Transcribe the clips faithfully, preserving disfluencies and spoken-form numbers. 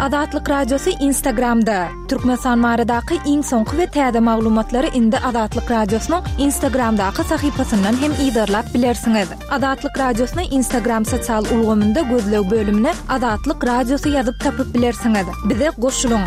Azatlyk Radiosy Instagramda. Türkmenistan baradaky iň soňky we täze maglumatlary indi Azatlyk Radiosynyň Instagramdaky sahypasyndan hem yzarlap bilersiňiz. Azatlyk Radiosyny Instagram sosial ulgamynda gözleg bölümine Azatlyk Radiosy ýazyp tapyp bilersiňiz. Bize goşulyň.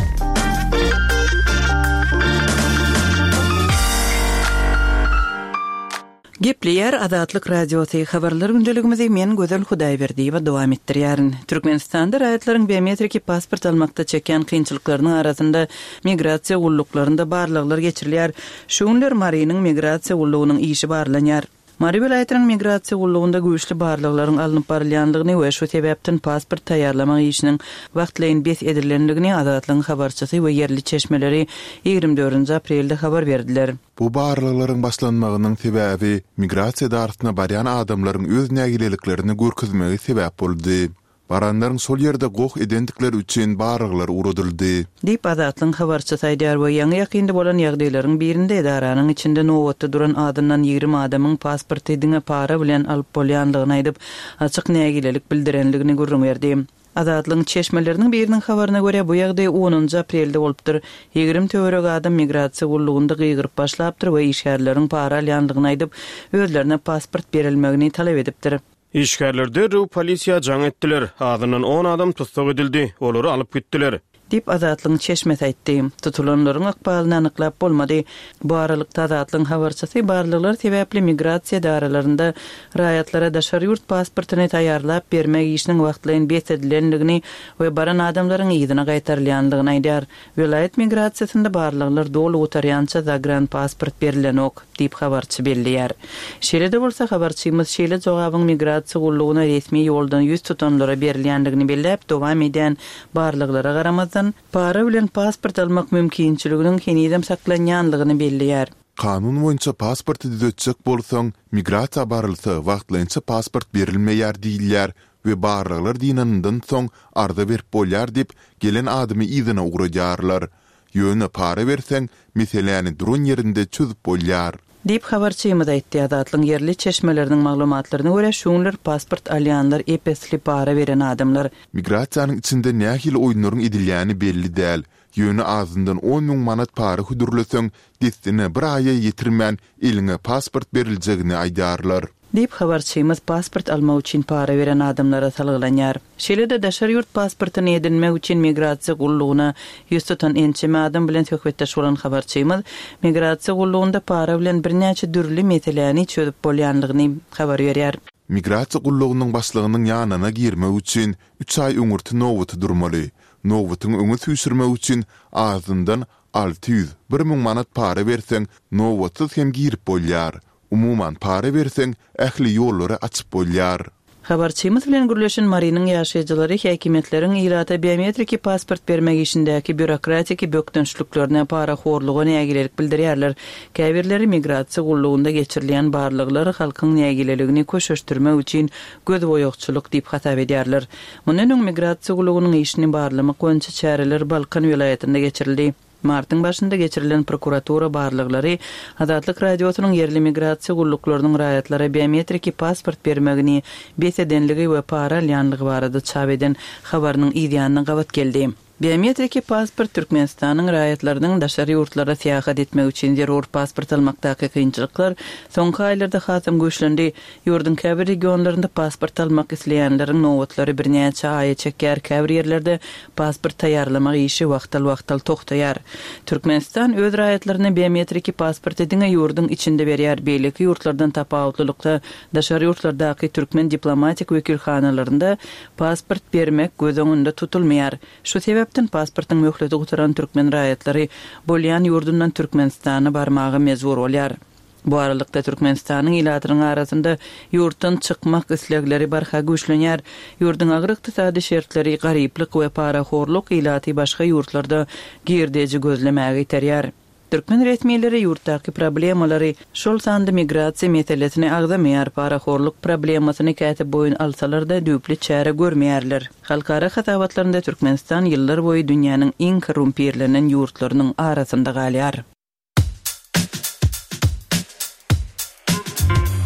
Gepleýär Azatlyk Radiosy habarlar gündeligimizi men Gözel Hudaýberdiýewa dowam etdirýärin. Türkmenistanda raýatlaryň biometriki pasport almakda çekýän kynçylyklarynyň arasynda migrasiýa gulluklarynda barlaglar geçirilýär. Şu günler Marynyň migrasiýa gullugynyň işi barlanýar. Mary welaýatynyň migrasiýa gullugynda güýçli barlaglaryň alnyp barylýandygyny we şu sebäpden pasport taýýarlamak işiniň wagtlaýyn bes edilendigini Azatlygyň habarçysy we ýerli çeşmeleri ýigrimi dördünji aprelde habar berdiler. Bu barlaglaryň başlanmagynyň sebäbi migrasiýa edarasyna barýan adamlaryň öz nägileliklerini görkezmegi sebäp boldy. Baranlaryň şol ýerde goh edendikleri üçin barlaglar ugradyldy. Diýip, Azatlygyň habarçysy aýdýar we ýaňy-ýakynda bolan ýagdaýlaryň birinde edaranyň içinde nobatda duran azyndan ýigrimi adamyň pasporty diňe para bilen alyp bolýandygyny aýdyp, açyk nägilelik bildirendigini gürrüň berdi. Azatlygyň çeşmeleriniň biriniň habaryna görä, bu ýagdaý onunjy aprelde bolupdyr. Ýigrimi töweregi adam migrasiýa gullugynda gygyryp başlapdyr we işgärleriň para alýandygyny aýdyp, özlerine pasport berilmegini talap edipdir. Işgärler derrew polisiýa jaň etdiler. Azyndan on adam tussag edildi, olary alyp gitdiler. Diýip, Azatlygyň çeşmesi aýtdy. Tutulanlaryň ykbalyny anyklap bolmady. Bu aralykda, Azatlygyň habarçysy barlaglar sebäpli migrasiýa edaralarynda raýatlara daşary ýurt pasportyny taýýarlap bermek işiniň wagtlaýyn bes edilendigini we baran adamlaryň yzyna gaýtarylýandygyny aýdýar. Welaýat migrasiýasynda barlaglar doly gutarýança zagranpasport berilenok, diýip, habarçy belleýär. Şeýle-de bolsa, habarçymyz şeýle jogabyň migrasiýa gullugyna resmi ýoldan ýüz tutanlara berilýändigini belläp, dowam edýän barlaglara garamazdan, para bilen pasport almak mümkinçiliginiň henizem saklanýandygyny belleýär. Kanun boýunça pasporty düzetjek bolsaň, migrasiýa barylsa, wagtlaýynça pasport berilmeýär diýilýär we barlaglar dynanyndan soň arza berip bolýar diýip, gelen adamy yzyna ugradýarlar. Ýöne para berseň, meseläni duran ýerinde çözüp bolýar. Diýip, habarçymyz aýtdy. Azatlygyň ýerli çeşmeleriniň maglumatlaryna görä, şu günler pasport alýanlar ep-esli para beren adamlar. Migrasiýanyň içinde nähili oýunlaryň edilýäni belli däl. Ýöne azyndan on müň manat para hödürleseň, dessine bir aýa ýetirmän eliňe pasport beriljegini aýdýarlar. Diýip, habarçymyz pasport almak üçin para beren adamlara salgylanýar. Şeýle-de daşary ýurt pasportyny edinmek üçin migrasiýa gullugyna ýüz tutan ençeme adam bilen söhbetdeş bolan habarçymyz migrasiýa gullugynda para bilen birnäçe dürli meseläni çözüp bolýandygyny habar berýär. Migrasiýa gullugynyň başlygynyň ýanyna girmek üçin üç aý öňürti nobata durmaly. Nobatyňy öňe süýşürmek üçin azyndan alty ýüz, bir müň manat para berseň, nobatsyz hem girip bolýar. Umuman, para berseň, ähli ýollary açyp bolýar. Habarçymyz bilen gürleşen Marynyň ýaşaýjylary häkimiýetleriň ilata biometriki pasport bermek işindäki býurokratiki bökdençliklerine, parahorluga nägilelik bildirýärler. Käbirleri migrasiýa gullugynda geçirilýän barlaglar halkyň nägileligini köşeşdirmek üçin gözboýagçylyk diýip hasap edýärler. Mundan öň migrasiýa gullugynyň işini barlamak boýunça çäreler Balkan welaýatynda geçirildi. Martyň başynda geçirilen prokuratura barlaglary Azatlyk Radiosynyň ýerli migrasiýa gulluklarynyň raýatlara biometriki pasport bermegini bes edenligi we para alýanlygy barada çap eden habarynyň yzýanyna gabat geldi. Biometriki pasport Türkmenistanyň raýatlarynyň daşary ýurtlara syýahat etmek üçin zerur pasport almakdaky kynçylyklar soňky aýlarda hasam güýçlendi. Ýurduň käbir regionlarynda pasport almak isleýänleriň nobatlary birnäçe aýa çekýär, käbir ýerlerde pasport taýýarlamak işi wagtal-wagtal togtaýar. Türkmenistan öz raýatlaryna biometriki pasporty diňe ýurduň içinde berýär, beýleki ýurtlardan tapawutlylykda daşary ýurtlardaky türkmen diplomatik wekilhanalarynda pasport bermek göz öňünde tutulmaýar. Şu sebäpden pasportyň möhleti gutaran türkmen raýatlary bolýan ýurdundan Türkmenistana barmaga mejbur bolýar. Bu aralykda Türkmenistanyň ilatynyň arasynda ýurtdan çykmak islegleri barha güýçlenýär. Ýurduň agyr ykdysady şertleri, garyplyk we parahorluk ilaty başga ýurtlarda girdeji gözlemäge iterýär. Türkmen resmileri ýurtdaky problemalary, şol sanda migrasiýa meselesini agzamaýar, parahorluk problemasyny käte boýun alsalar-da düýpli çäre görmeýärler. Halkara hasabatlarynda Türkmenistan ýyllar boýy dünýäniň iň korrumpirlenen ýurtlarynyň arasynda galýar.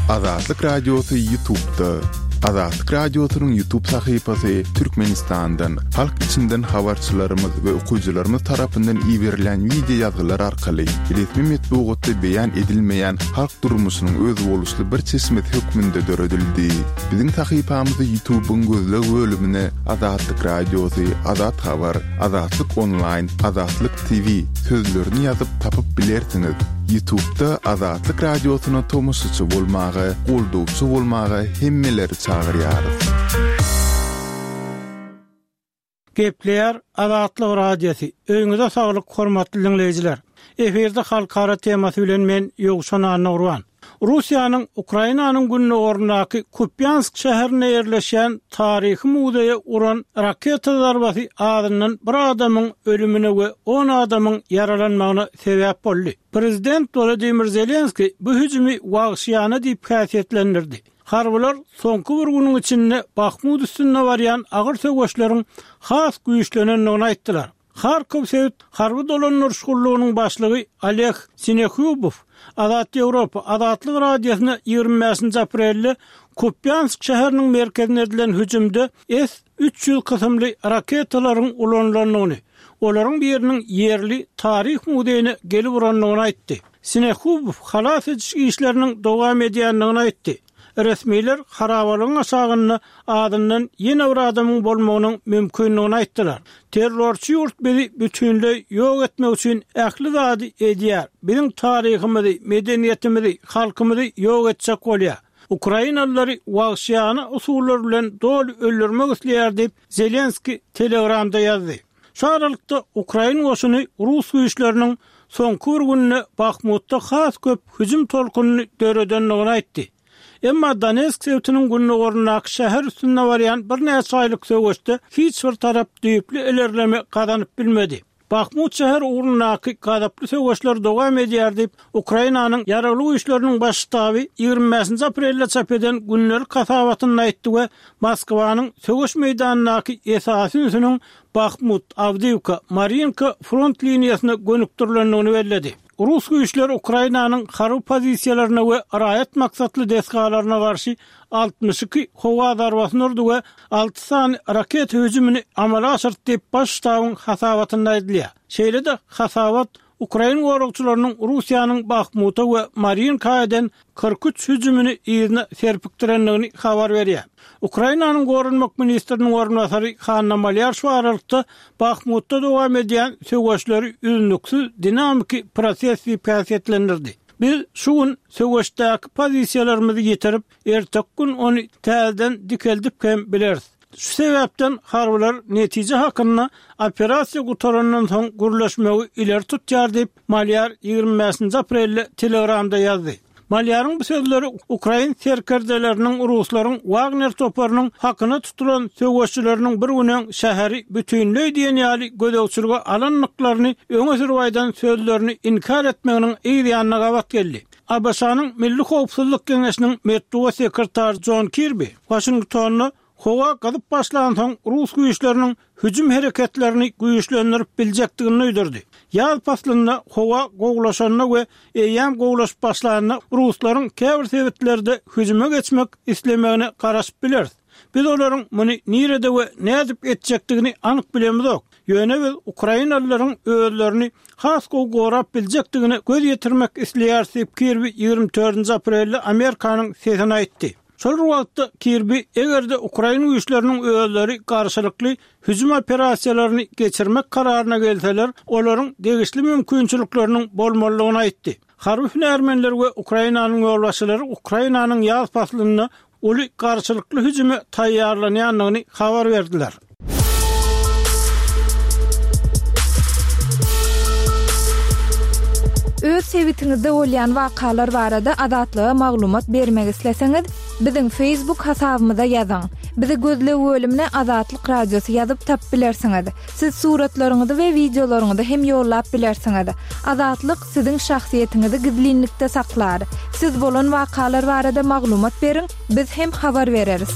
Azatlyk Radiosy YouTube'da. Azatlyk Radiosynyň YouTube sahypasy Türkmenistandan, halk içinden habarçylarymyz we okyjylarymyz tarapyndan iberilen wideo ýazgylar arkaly resmi metbugatda beýan edilmeýän halk durmuşynyň özboluşly bir çeşmesi hökmünde döredildi. Biziň sahypamyzy YouTube'yň gözleg bölümine Azatlyk Radiosy, Azat Habar, Azatlyk Online, Azatlyk TV sözlerini ýazyp tapyp bilersiňiz. YouTube'da Azatlyk Radiosyna tomaşaçy bolmaga, goldawçy bolmaga hemmeleri çagyrýarys. Gepleýär Azatlyk Radiosy. Öýüňize saglyk hormatly dinleýjiler. Efirde halkara temasy bilen men Ýowşan Annagurban. Russiýanyň Ukrainanyň gündogaryndaky Kupýansk şäherinde ýerleşýän taryhy muzeýe uran raketa zarbasy azyndan bir adamyň ölümine we on adamyň ýaralanmagyna sebäp boldy. Prezident Wladimir Zelenski bu hüjümi wagşyýana diýip häsiýetlendirdi. Harbylar soňky bir günüň içinde Bahmut üstünde barýan agyr söweşleriň has güýçlenendigini aýtdylar. Harkov sebit harby dolandyryş gullugynyň başlygy Oleg Sinehubow Azat Ýewropa Azatlyk Radiosyna ýigrimi bäşinji aprelde Kupýansk şäheriniň merkezine edilen hüjümde S üç ýüz kysymly raketalaryň ulanylandygyny, olaryň biriniň ýerli taryh muzeýine gelip urandygyny aýtdy. Sinehubow halas ediş işleriniň dowam edýändigini aýtdy. Resmiler harabalygyň aşagynda azyndan ýene bir adamyň bolmagynyň mümkindigini aýtdylar. Terrorçy ýurt bizi bütünleý ýok etmek üçin ähli zady edýär. Biziň taryhymyzy, medeniýetimizi, halkymyzy ýok etjek bolýar. Ukrainalylary wagşyýana usullar bilen doly öldürmek isleýär diýip Zelenski Telegramda ýazdy. Şu aralykda Ukrain goşuny Rus güýçleriniň soňky bir günde Bahmutda has köp hüjüm tolkunyny döredendigini aýtdy. Emma Donetsk sebitiniň gündogaryndaky şäher üstünde barýan birnäçe aýlyk söweşde hiç bir tarap düýpli ilerleme gazanyp bilmedi. Bahmut şäher ugrundaky gazaply söweşler dowam edýär diýip, Ukrainanyň ýaragly güýçleriniň baş ştaby ýigrimi bäşinji aprelde çap eden gündelik hasabatynda aýtdy we Moskwanyň söweş meýdanyndaky esasy ünsüniň Bahmut, Awdiýewka, Marinka front liniýasyna gönükdirilendigini belledi. Rus güýçleri Ukrainanyň harby pozisiýalaryna we raýat maksatly desgalaryna garşy altmyş iki howa zarbasyny urdy we alty sany raketa hüjümini amala aşyrdy diýip baş ştabyň hasabatynda aýdylýar. Şeýle-de hasabat Ukrain goragçylarynyň Russiýanyň Bahmuta we Marinka eden kyrk üç hüjümini yzyna serpikdirendigini habar berýär. Ukrainanyň goranmak ministriniň orunbasary Hanna Malýar şu aralykda Bahmutda dowam edýän söweşleri üznüksiz dinamiki proses diýip häsiýetlendirdi. Biz şu gün söweşdäki pozisiýalarymyzy ýetirip, ertek gün ony täzeden dikeldip hem bileris. Şu sebäpden harbylar netije hakynda operasiýa gutarandan soň gürleşmegi ileri tutýar diýip Malýar ýigrimi bäşinji aprelde Telegramda ýazdy. Malýaryň bu sözleri Ukrain serkerdeleriniň Ruslaryň Wagner toparynyň hakyna tutulan söweşçileriniň bir günüň şäheri bütünleý diýen ýaly gözegçilige alandyklaryny öňe sürüp aýdan sözlerini inkar etmeginiň yz ýanyna gabat geldi. ABŞ-nyň Milli Howpsuzlyk Geňeşiniň metbugat sekretary John Kirby Washingtonda howa gyzyp başlansoň Rus güýçleriniň hüjüm hereketlerini güýçlendirip biljekdigini duýdurdy. Ýaz paslynda howa gowlaşanda we eýýäm gowlaşyp başlanda Ruslaryň käbir sebitlerde hüjüme geçmek islemegine garaşyp bileris. Biz olaryň muny nirede we nädip etjekdigini anyk bilemizok. Ýöne biz Ukrainalylaryň özlerini has gowy gorap biljekdigine göz ýetirmek isleýäris diýip Kirby ýigrimi dördünji aprelde Amerikanyň sesini aýtdy. Şol wagtda Kirby eger-de Ukrain güýçleriniň özleri garşylykly hüjüm operasiýalaryny geçirmek kararyna gelseler, olaryň degişli mümkinçilikleriniň bolmalydygyny aýtdy. Harby hünärmenler we Ukrainanyň ýolbaşçylary Ukrainanyň ýaz paslynda uly garşylykly hüjüme taýýarlanýandygyny habar berdiler. Öz sebitiňizde bolýan wakalar barada Azatlyga maglumat bermek isleseňiz, biziň Facebook hasabymyza ýazyň. Bizi gözleg bölümine Azatlyk Radiosy ýazyp tap bilersiňiz. Siz suratlaryňyzy we wideolaryňyzy hem ýollap bilersiňiz. Azatlyk siziň şahsyýetiňizi gizlinlikde saklar. Siz bolan wakalar barada maglumat beriň, biz hem habar bereris.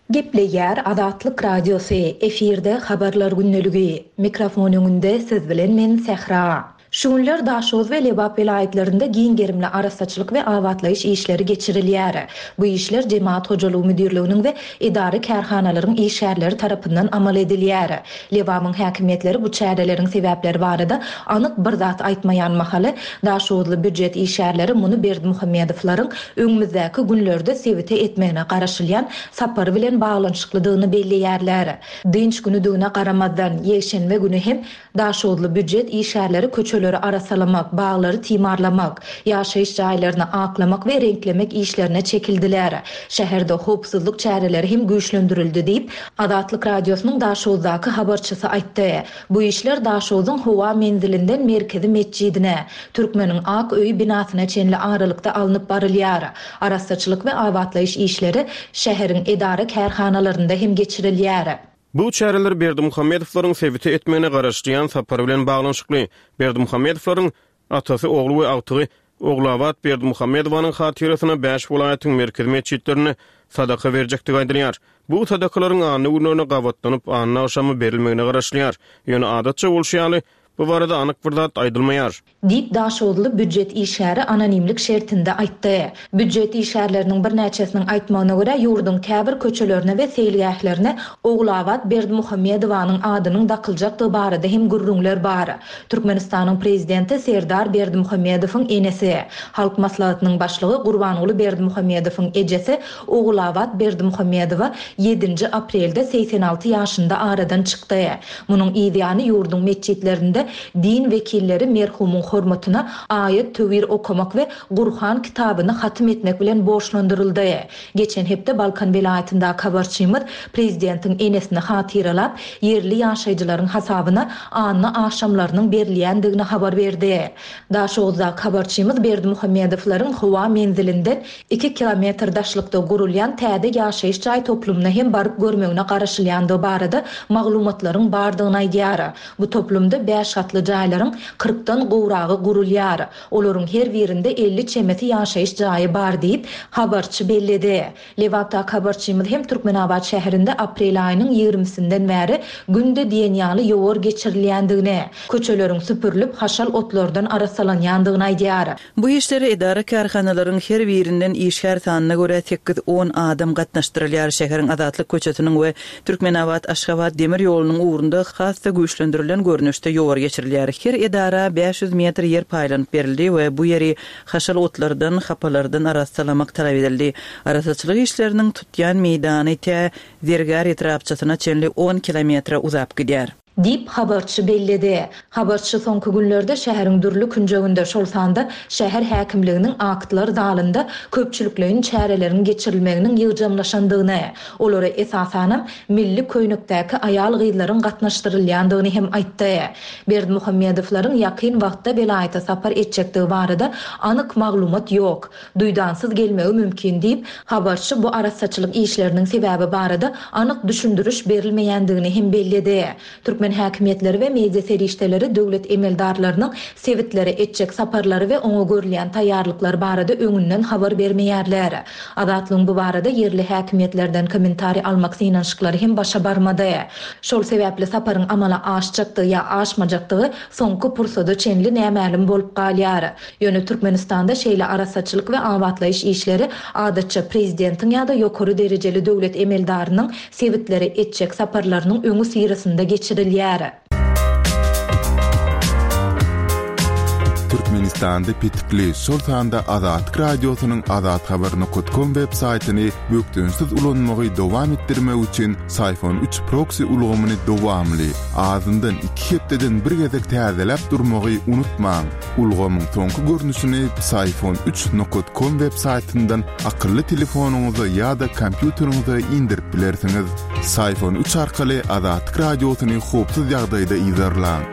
Gepleýär Azatlyk Radiosy, efirde habarlar gündeligi. Mikrofon öňünde siz bilen men Sähra. Şu günler Daşoguz we Lebap welaýatlarynda giň gerimli arassaçylyk we abatlaýyş işleri geçirilýär. Bu işler Jemagat hojalygy müdirliginiň we edara-kärhanalaryň işgärleri tarapyndan amal edilýär. Lebabyň häkimiýetleri bu çäreleriň sebäpleri barada anyk bir zat aýtmaýan mahaly, daşoguzly býujet işgärleri muny Berdimuhamedowlaryň öňümizdäki günlerde sebite etmegine garaşylýan sapary bilen baglanyşyklydygyny belleýärler. Dynç günüdigine garamazdan, ýekşenbe güni hem daşoguzly býujet işgärleri köçeleri arassalamak, baglary timarlamak, ýaşaýyş jaýlaryny aklamak we reňklemek işlerine çekildiler. Şäherde howpsuzlyk çäreleri hem güýçlendirildi diýip, Azatlyk Radiosynyň Daşoguzdaky habarçysy aýtdy. Bu işler Daşoguzyň howa menzilinden merkezi metjidine, Türkmeniň Ak öýi binasyna çenli aralykda alnyp barylýar. Arassaçylyk we abatlaýyş işleri şäheriň edara-kärhanalarynda hem geçirilýär. Bu çäreler Berdimuhamedowlaryň sebite etmegine garaşylýan sapary bilen baglanyşykly. Berdimuhamedowlaryň atasy, ogly we agtygy Ogulabat Berdimuhamedowanyň hatyrasyna bäş welaýatyň merkezi metjitlerinde sadaka berjekdigi aýdylýar. Bu sadakalaryň anna günlerine gabatlanyp, anna agşamy berilmegine garaşylýar. Ýöne adatça bolşy ýaly, bu barada anyk bir zat aýdylmaýar. Diýip, daşoguzly býujet işgäri anonimlik şertinde aýtdy. Býujet işgärleriniň birnäçesiniň aýtmagyna görä, ýurduň käbir köçelerine we seýilgählerine Ogulabat Berdimuhamedowanyň adynyň dakyljakdygy barada hem gürrüňler bar. Türkmenistanyň prezidenti Serdar Berdimuhamedowyň enesi, Halk Maslahatynyň başlygy Gurbanguly Berdimuhamedowyň ejesi Ogulabat Berdimuhamedowa ýedinji aprelde segsen alty ýaşynda aradan çykdy. Munuň yz ýany ýurduň metjitlerinde din wekilleri merhumyň hormatyna aýat-töwir okamak we Gurhan kitabyny hatym etmek bilen borçlandyryldy. Geçen hepde Balkan welaýatyndaky habarçymyz prezidentiň enesini hatyralap, ýerli ýaşaýjylaryň hasabyna anna agşamlarynyň berilýändigini habar berdi. Daşoguzdaky habarçymyz Berdimuhamedowlaryň howa menzilinden iki kilometr daşlykda gurulýan täze ýaşaýyş jaý toplumyna hem baryp görmegine garaşylýandygy barada maglumatlaryň bardygyny aýdýar. Bu toplumda bäş gatly jaýlaryň kyrkdan gowragy gurulýar. Olaryň her birinde elli çemesi ýaşaýyş jaýy bar diýip, habarçy belledi. Lebapdaky habarçymyz hem Türkmenabat şäherinde aprel aýynyň ýigrimisinden bäri günde diýen ýaly ýowar geçirilýändigini, köçeleriň süpürilip haşal otlardan arassalanýandygyny aýdýar. Bu işlere edara-kärhanalaryň her birinden işgär sanyna görä sekiz-on adam gatnaşdyrylýar. Şäheriň Azatlyk köçesiniň we Türkmenabat-Aşgabat demir ýolunyň ugrunda has-da güýçlendirilen görnüşde ýowar geçirilýär. Her edara bäş ýüz metr ýer paýlanyp berildi we bu ýeri haşal otlardan, hapalardan arassalamak talap edildi. Arassaçylyk işleriniň tutýan meýdany tä Zergär etrapçasyna çenli on kilometre uzap gidýär. Diýip, habarçy belledi. Habarçy soňky günlerde şäheriň dürli künjeginde, şol sanda şäher häkimliginiň aktlar zalynda köpçülikleýin çäreleriň geçirilmeginiň ýygjamlaşandygyny, olara esasanam milli köýnekdäki aýal-gyzlaryň gatnaşdyrylýandygyny hem aýtdy. Berdimuhamedowlaryň ýakyn wagtda welaýata sapar etjekdigi barada anyk maglumat ýok. Duýdansyz gelmegi mümkin diýip, habarçy bu arassaçylyk işleriniň sebäbi barada anyk düşündiriş berilmeýändigini hem belledi. Türkmen häkimiýetleri we media serişdeleri döwlet emeldarlarynyň sebitlere etjek saparlary we oňa görülýän taýýarlyklar barada öňünden habar bermeýärler. Azatlygyň bu barada ýerli häkimiýetlerden kommentariý almak synanyşyklary hem başa barmady. Şol sebäpli saparyň amala aşjakdygy ýa aşmajakdygy soňky pursada çenli nämälim bolup galýar. Ýöne Türkmenistanda şeýle arassaçylyk we abatlaýyş işleri adatça prezidentiň ýa-da ýokary derejeli döwlet emeldarynyň sebitlere etjek saparlarynyň öňi syrasynda geçirilýär. Türkmenistanda petikli, şol sanda Azatlyk Radiosynyň azathabar nokta com web saýtyny bökdençsiz ulanmagy dowam etdirmek üçin Syfon üç proksi ulgamyny dowamly, azyndan iki hepdeden bir gezek täzeläp durmagy unutmaň. Ulgamyň soňky görnüşini Syfon üç nokta com web saýtyndan akylly telefonyňyza ýa-da kompýuteriňize indirip bilersiňiz. Syfon üç arkaly Azatlyk Radiosyny howpsuz ýagdaýda yzarlaň.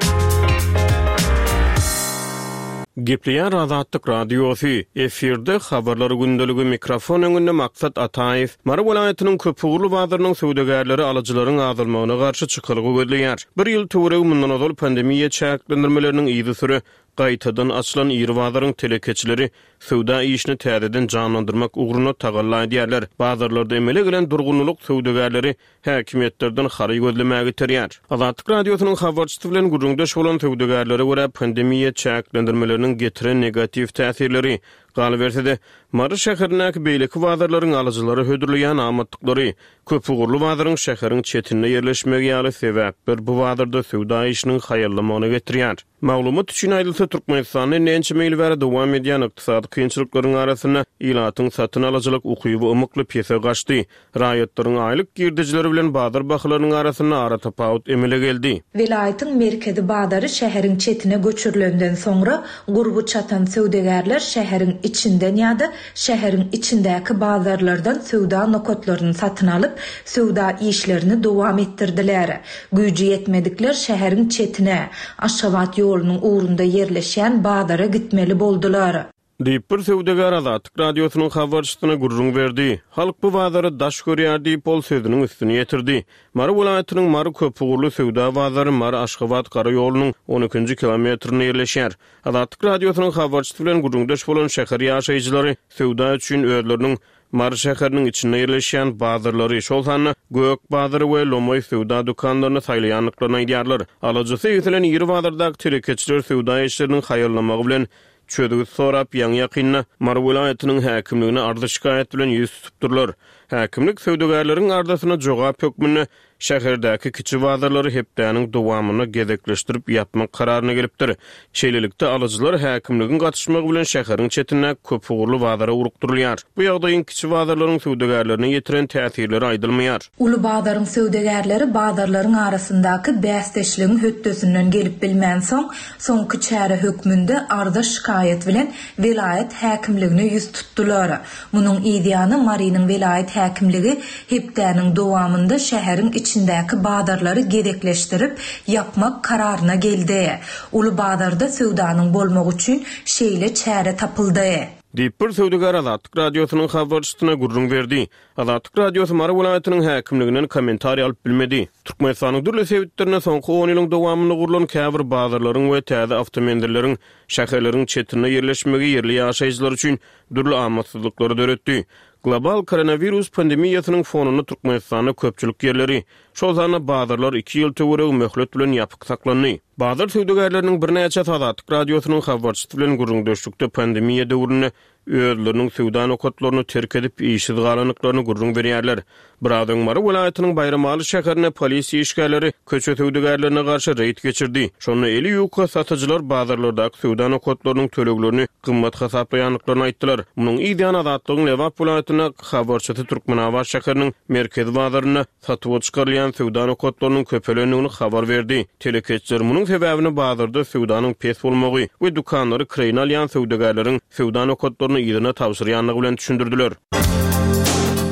Gepleýär Azatlyk Radiosy, efirde habarlar gündeligi mikrofon öňünde Maksat Ataýew. Mary welaýatynyň köpugurly bazarynyň söwdagärleri alyjylaryň azalmagyna garşy çykalga gözleýär. Bir ýyl töweregi mundan ozal pandemiýa çäklendirmeleriniň yzysüre gaýtadan açylan iri bazaryň telekeçileri söwda işini täzeden janlandyrmak ugrunda tagalla edýärler. Bazarlarda emele gelen durgunlyk söwdagärleri häkimiýetlerden hary gözlemäge iterýär. Azatlyk Radiosynyň habarçysy bilen gürrüňdeş bolan söwdagärlere görä pandemiýa çäklendirmeleriniň getiren negatiw täsirleri, galyberse-de, Mary şäherindäki beýleki bazarlaryň alyjylara hödürleýän amatlyklary, köpugurly bazaryň şäheriň çetinde ýerleşmegi ýaly sebäpler bu bazarda söwda işiniň haýallamagyna getirýär. Maglumat üçin aýdylsa, Türkmenistanda ençeme ýyl bäri dowam edýän ykdysady kynçylyklaryň arasynda ilatyň satyn alyjylyk ukyby ymykly pese gaçdy. Raýatlaryň aýlyk girdejileri bilen bazar bahalarynyň arasynda aratapawut emele geldi. Welaýatyň merkezi bazary şäheriň çetine göçürilenden soňra gurby çatan söwdagärler şäheriň içinden ýa-da şäheriň içindäki bazarlardan söwda nokatlaryny satyn alyp, söwda işlerini dowam etdirdiler. Güýji ýetmedikler şäheriň çetine, Aşgabat ýolunyň ugrunda ýerleşýän bazara gitmeli boldular. Diýip bir söwdagär Azatlyk Radiosynyň habarçysyna gürrüň berdi. Halk bu bazary daş görýär diýip ol sözüniň üstüni ýetirdi. Mary welaýatynyň Mary köpugurly söwda bazary Mary Aşgabat gara ýolunyň on ikinji kilometrinde ýerleşýär. Azatlyk Radiosynyň habarçysy bilen gürrüňdeş bolan şäher ýaşaýjylary söwda üçin özleriniň Mary şäheriniň içinde ýerleşýän bazarlary, şol sanda Gök bazary we Lomaý söwda dükanlaryny saýlaýandyklaryny aýdýarlar. Alyjysy egselen iri bazardaky telekeçiler söwda işleriniň haýallamagy bilen çözgüt sorap ýaňy ýakynda Mary welaýatynyň häkimligine arza şikaýat bilen ýüz tutupdyrlar. Häkimlik söwdagärleriň arzasyna jogap hökmünde şäherdäki kiçi bazarlary hepdäniň dowamynda gezekleşdirip ýapmak kararyna gelipdir. Şeýlelikde alyjylar häkimligiň gatyşmagy bilen şäheriň çetindäki köpugurly bazara urukdyrylýar. Bu ýagdaýyň kiçi bazarlaryň söwdagärlerine ýetiren täsirleri aýdylmaýar. Uly bazaryň söwdagärleri bazarlaryň arasyndaky bäsdeşligiň hötdesinden gelip bilmänsoň, soňky çäre hökmünde arza şikaýat bilen welaýat häkimligine ýüz tutdular. Munuň yzýany Marynyň welaýat häkimligi hepdäniň dowamynda şäheriň içindäki bazarlary gezekleşdirip ýapmak kararyna geldi. Uly bazarda söwdanyň bolmagy üçin şeýle çäre tapyldy. Diýip bir söwdagär Azatlyk Radiosynyň habarçysyna gürrüň berdi. Azatlyk Radiosy Mary welaýatynyň häkimliginden kommentariý alyp bilmedi. Türkmenistanyň dürli sebitlerinde soňky on ýylyň dowamynda gurlan käbir bazarlaryň we täze awtomenzilleriň şäherleriň çetinde ýerleşmegi ýerli ýaşaýjylar üçin dürli amatsyzlyklary döretdi. Global koronawirus pandemiýasynyň fonunda Türkmenistanda köpçülik ýerleri, şol sanda bazarlar iki ýyl töweregi möhlet bilen ýapyk saklandy. Bazar söwdagärleriniň birnäçe Azatlyk Radiosynyň habarçysy bilen gürrüňdeşlikde pandemiýa döwründe özleriniň söwda nokatlaryny terk edip işsiz galandyklaryny gürrüň berýärler. Biraz öň Mary welaýatynyň Baýramaly şäherinde polisiýa işgärleri köçe söwdagärlerine garşy reýd geçirdi. Şonda eli ýuka satyjylar bazarlardaky söwda nokatlarynyň töleglerini gymmat hasaplaýandyklaryny aýtdylar. Munuň yzýany Azatlygyň Lebap welaýatynda habarçysy Türkmenabat şäheriniň merkezi bazarynda satuwa çykarylýan söwda nokatlarynyň köpelendigini habar berdi. Telekeçiler munuň sebäbini bazarda söwdanyň pes bolmagy we dükanlary kireýine alýan söwdagärleriň söwda nokatlaryny yzyna tabşyrýandygy bilen düşündirdiler.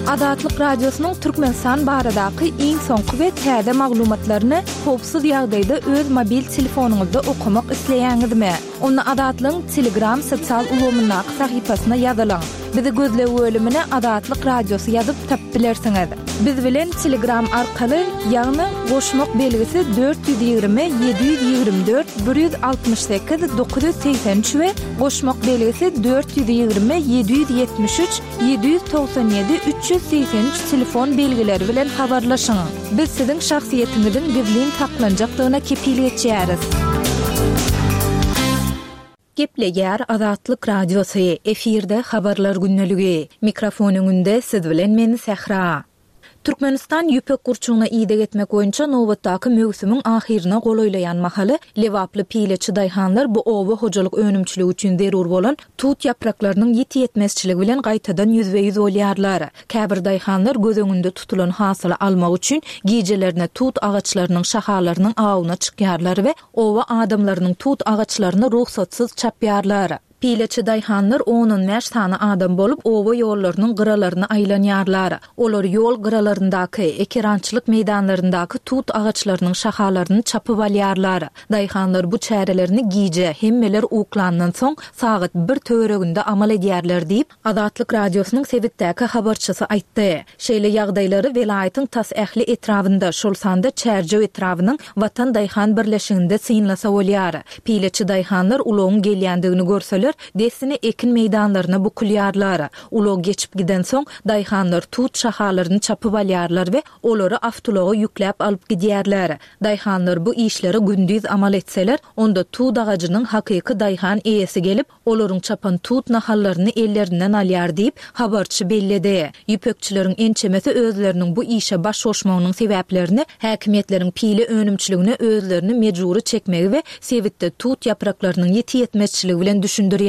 Azatlyk Radiosynyň Türkmenistan baradaky iň soňky we täze maglumatlaryny howpsuz ýagdaýda öz mobil telefonyňyzda okamak isleýäňizmi? Onda Azatlygyň Telegram sosial ulgamyndaky sahypasyna ýazylyň. Bizi gözleg bölümine Azatlyk Radiosy ýazyp tapyp bilersiňiz. Biz bilen Telegram arkaly, ýagny goşmak belgisi dört ýüz ýigrimi ýedi ýüz ýigrimi dört bir ýüz altmyş sekiz dokuz ýüz segsen üç we goşmak belgisi dört ýüz ýigrimi ýedi ýüz ýetmiş üç ýedi ýüz togsan ýedi üç ýüz segsen üç telefon belgileri bilen habarlaşyň. Biz siziň şahsyýetiňiziň gizlin saklanjakdygyna kepil geçýäris. Gepleýär Azatlyk Radiosy, efirde habarlar gündeligi. Mikrofon öňünde siz bilen men Sähra. Türkmenistan ýüpek gurçugyna ideg etmek boýunça nobatdaky möwsümiň ahyryna golaýlaýan mahaly Lebaply pileçi daýhanlar bu oba hojalyk önümçiligi üçin zerur bolan tut ýapraklarynyň ýiti ýetmezçiligi bilen gaýtadan ýüzbe-ýüz bolýarlar. Käbir daýhanlar göz öňünde tutulan hasyly almak üçin gijelerine tut agaçlarynyň şahalarynyň awuna çykýarlar we oba adamlarynyň tut agaçlaryny rugsatsyz çapýarlar. Pileçi daýhanlar on-on bäş sany adam bolup, oba ýollarynyň gyralaryny aýlanýarlar. Olar ýol gyralaryndaky, ekerançylyk meýdanlaryndaky tut agaçlarynyň şahalaryny çapyp alýarlar. Daýhanlar bu çärelerini gije, hemmeler uklandan soň sagat bir töwereginde amal edýärler diýip, Azatlyk Radiosynyň sebitdäki habarçysy aýtdy. Şeýle ýagdaýlary welaýatyň tas ähli etrabynda, şol sanda Çärjew etrabynyň Watan daýhan birleşiginde synlasa bolýar. Pileçi daýhanlar ulagyň gelýändigini görseler, dessine ekin meýdanlaryna bukulýarlar. Ulag geçip gidensoň, daýhanlar tut şahalaryny çapyp alýarlar we olary awtoulaga ýükläp alyp gidýärler. Daýhanlar bu işleri gündiz amal etseler, onda tut agajynyň hakyky daýhan eýesi gelip, olaryň çapan tut nahallaryny ellerinden alýar diýip, habarçy belledi. Ýüpekçileriň ençemesi özleriniň bu işe baş goşmagynyň sebäplerini häkimiýetleriň pile önümçiligine özlerini mejbury çekmegi we sebitde tut ýapraklarynyň ýiti ýetmezçiligi bilen düşündirýärler.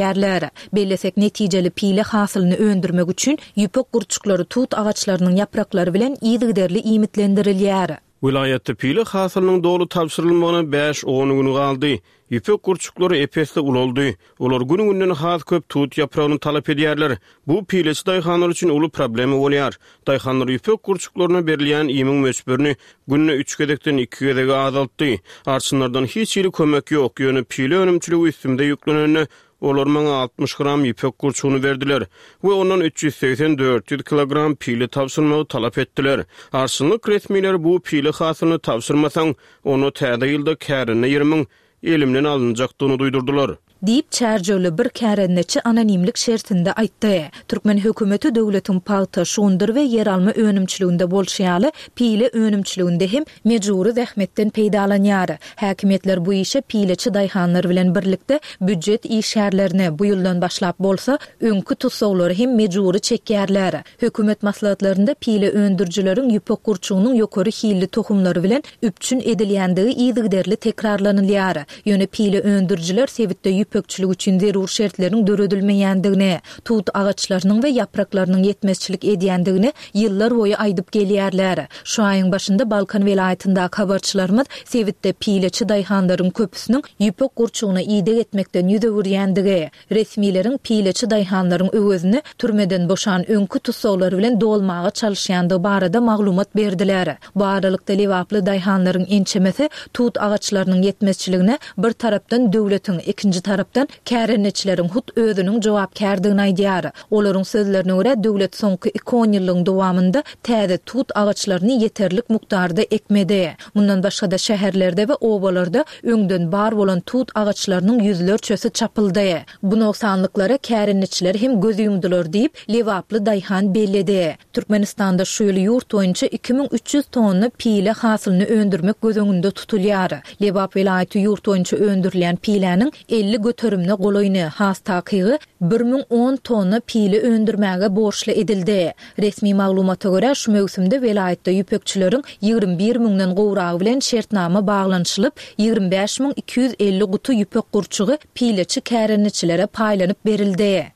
Bellesek, netijeli pile hasylyny öndürmek üçin ýüpek gurçuklary tut agaçlarynyň ýapraklary bilen yzygiderli iýmitlendirilýär. Welaýatda pile hasylynyň doly tabşyrylmagyna bäş-on gün galdy. Ýüpek gurçuklary ep-esli ulaldy. Olar gün-günden has köp tut ýapragyny talap edýärler. Bu pileçi daýhanlar üçin uly problema bolýar. Daýhanlar ýüpek gurçuklaryna berilýän iýmiň möçberini günde üç gezekden iki gezege azaltdy. Arçynlardan hiç hili kömek ýok, ýöne pile önümçiligi üstümde ýüklenende olar maňa altmyş gram ýüpek gurçugyny berdiler we ondan üç ýüz segsen dört ýüz kilogram pile tabşyrmagy talap etdiler. Arçynlyk resmileri bu pile hasylyny tabşyrmasaň, onda täze ýylda kärende ýerimiň elimden alynjakdygyny duýdurdylar. Diýip, Çärjewli bir kärendeçi anonimlik şertinde aýtdy. Türkmen hökümeti döwletiň pagta, şugundyr we ýeralma önümçiliginde bolşy ýaly, pile önümçiliginde hem mejbury zähmetden peýdalanýar. Häkimiýetler bu işe pileçi daýhanlar bilen birlikde býujet işgärlerini, bu ýyldan başlap bolsa, öňki tussaglary hem mejbury çekýärler. Hökümet maslahatlarynda pile öndürijileriň ýüpek gurçugynyň ýokary hilli tohumlary bilen üpjün edilýändigi yzygiderli tekrarlanylýar. Ýöne pile öndürijiler sebitde ýüpekçilik üçin zerur şertleriň döredilmeýändigini, tut agaçlarynyň we ýapraklarynyň ýetmezçilik edýändigini ýyllar boýy aýdyp gelýärler. Şu aýyň başynda Balkan welaýatyndaky habarçylarymyz sebitde pileçi daýhanlaryň köpüsiniň ýüpek gurçugyna ideg etmekden ýüz öwürýändigi, resmileriň pileçi daýhanlaryň öwezini türmeden boşan öňki tussaglar bilen dolmaga çalyşýandygy barada maglumat berdiler. Bu aralykda lebaply daýhanlaryň ençemesi tut agaçlarynyň ýetmezçiligine bir tarapdan döwletiň, ikinji tarapdan kärendeçileriň hut özüniň jogapkärdigini aýdýar. Olaryň sözlerine görä, döwlet soňky iki on ýyllygyň dowamynda täze tut agaçlaryny ýeterlik mukdarda ekmedi. Mundan başga-da şäherlerde we obalarda öňden bar bolan tut agaçlarynyň ýüzlerçesi çapyldy. Bu nogsanlyklara kärendeçiler hem göz ýumdular diýip, lebaply daýhan belledi. Türkmenistanda şu ýyl ýurt boýunça iki müň üç ýüz tonna pile hasylyny öndürmek göz öňünde tutulýar. Lebap welaýaty ýurt boýunça öndürilýän piläniň elli göterimine golaýyny, has takygy bir müň on tonna pile öndürmäge borçly edildi. Resmi maglumata görä, şu möwsümde welaýatda ýüpekçileriň ýigrimi bir müňden gowragy bilen şertnama baglanyşylyp, ýigrimi bäş müň iki ýüz elli guty ýüpek gurçugy pileçi kärendeçilere paýlanyp berildi.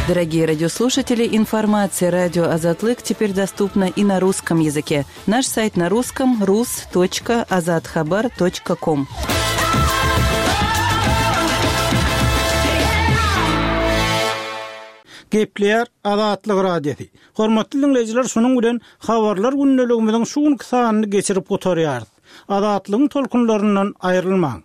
Дорогие радиослушатели, информация радио Азатлык теперь доступна и на русском языке. Наш сайт на русском рус точка азатхабар точка ком. Gepleýär Azatlyk Radiosy. Hormatly dinleýjiler, şunuň bilen habarlar gündeligimiziň şu günki sanyny geçirip gutarýarys. Azatlygyň tolkunlaryndan aýrylmaň.